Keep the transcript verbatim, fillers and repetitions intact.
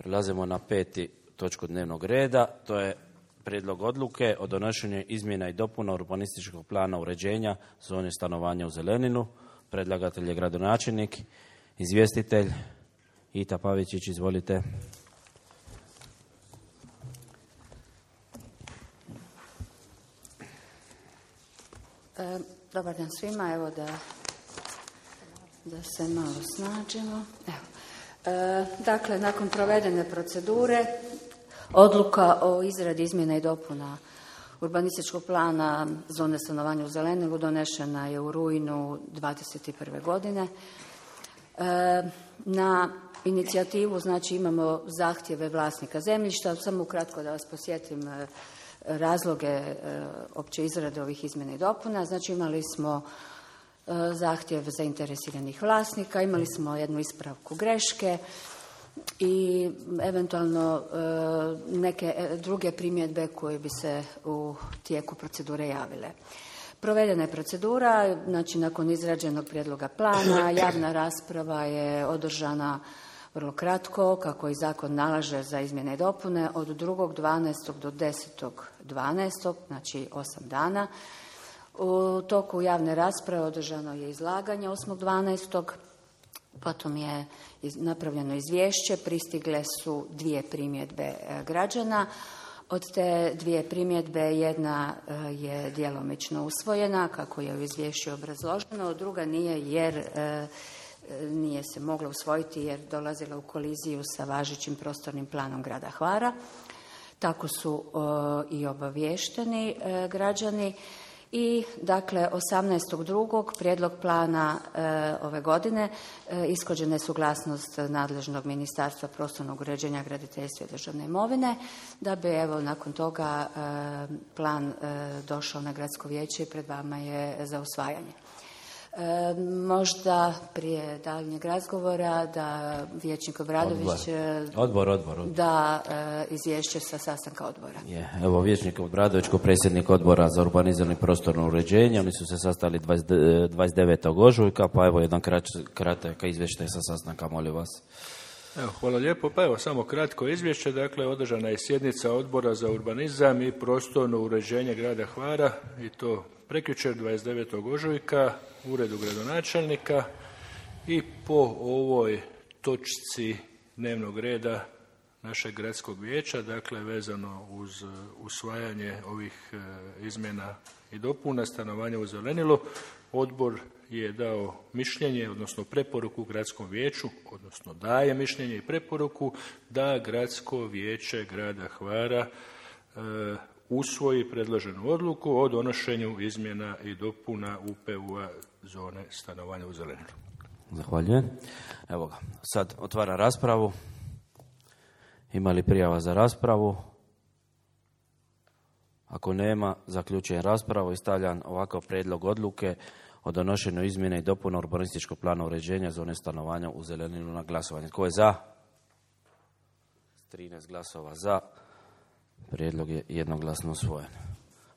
Prelazimo na peti točku dnevnog reda, to je prijedlog odluke o donošenju izmjena i dopuna urbanističkog plana uređenja zone stanovanja u Zeleninu. Predlagatelj je gradonačelnik, izvjestitelj Ita Pavičić, izvolite. E, dobar dan svima, evo da, da se malo snađemo. Evo. E, dakle, nakon provedene procedure, odluka o izradi izmjena i dopuna urbanističkog plana zone stanovanja u Zeleninu donešena je u rujnu dvadeset prve godine. E, na inicijativu, znači, imamo zahtjeve vlasnika zemljišta. Samo ukratko da vas posjetim e, razloge e, opće izrade ovih izmjena i dopuna. Znači, imali smo e, zahtjev zainteresiranih vlasnika, imali smo jednu ispravku greške i eventualno e, neke druge primjedbe koje bi se u tijeku procedure javile. Provedena je procedura, znači nakon izrađenog prijedloga plana, javna rasprava je održana vrlo kratko, kako i zakon nalaže za izmjene i dopune, od drugog dvanaestog do desetog dvanaestog, znači osam dana. U toku javne rasprave održano je izlaganje osmog dvanaestog Potom je napravljeno izvješće, pristigle su dvije primjedbe građana. Od te dvije primjedbe jedna je djelomično usvojena, kako je u izvješću obrazloženo, druga nije jer nije se mogla usvojiti jer dolazila u koliziju sa važećim prostornim planom grada Hvara. Tako su i obavješteni građani. I dakle osamnaestog drugog prijedlog plana e, ove godine e, ishođena je suglasnost nadležnog Ministarstva prostornog uređenja, graditeljstva i državne imovine, da bi evo nakon toga e, plan e, došao na gradsko vijeće i pred vama je za usvajanje. E, možda prije daljnjeg razgovora da vijećnik Obradović odbor, odbor, odbor. da e, izvješće sa sastanka odbora. Je, evo vijećnik Obradović kao predsjednik odbora za urbanizam i prostorno uređenje, oni su se sastali dvadeset devetog ožujka, pa evo jedan kratak izvještaj sa sastanka, molim vas. Evo, hvala lijepo. Pa evo, samo kratko izvješće. Dakle, održana je sjednica odbora za urbanizam i prostorno uređenje grada Hvara i to prekjučer dvadeset devetog ožujka u uredu gradonačelnika i po ovoj točci dnevnog reda našeg gradskog vijeća, dakle vezano uz usvajanje ovih izmjena i dopuna stanovanja u Zelenilu, odbor je dao mišljenje, odnosno preporuku gradskom vijeću, odnosno daje mišljenje i preporuku da gradsko vijeće grada Hvara e, usvoji predloženu odluku o donošenju izmjena i dopuna U P U-a zone stanovanja u Zelenilu. Zahvaljujem. Evo ga, sad otvara raspravu. Ima li prijava za raspravu? Ako nema, zaključujem raspravu i stavljam ovakav prijedlog odluke o donošenju izmjene i dopuna urbanističkog plana uređenja zone stanovanja u Zeleninu na glasovanje. Tko je za? trinaest glasova za. Prijedlog je jednoglasno usvojen.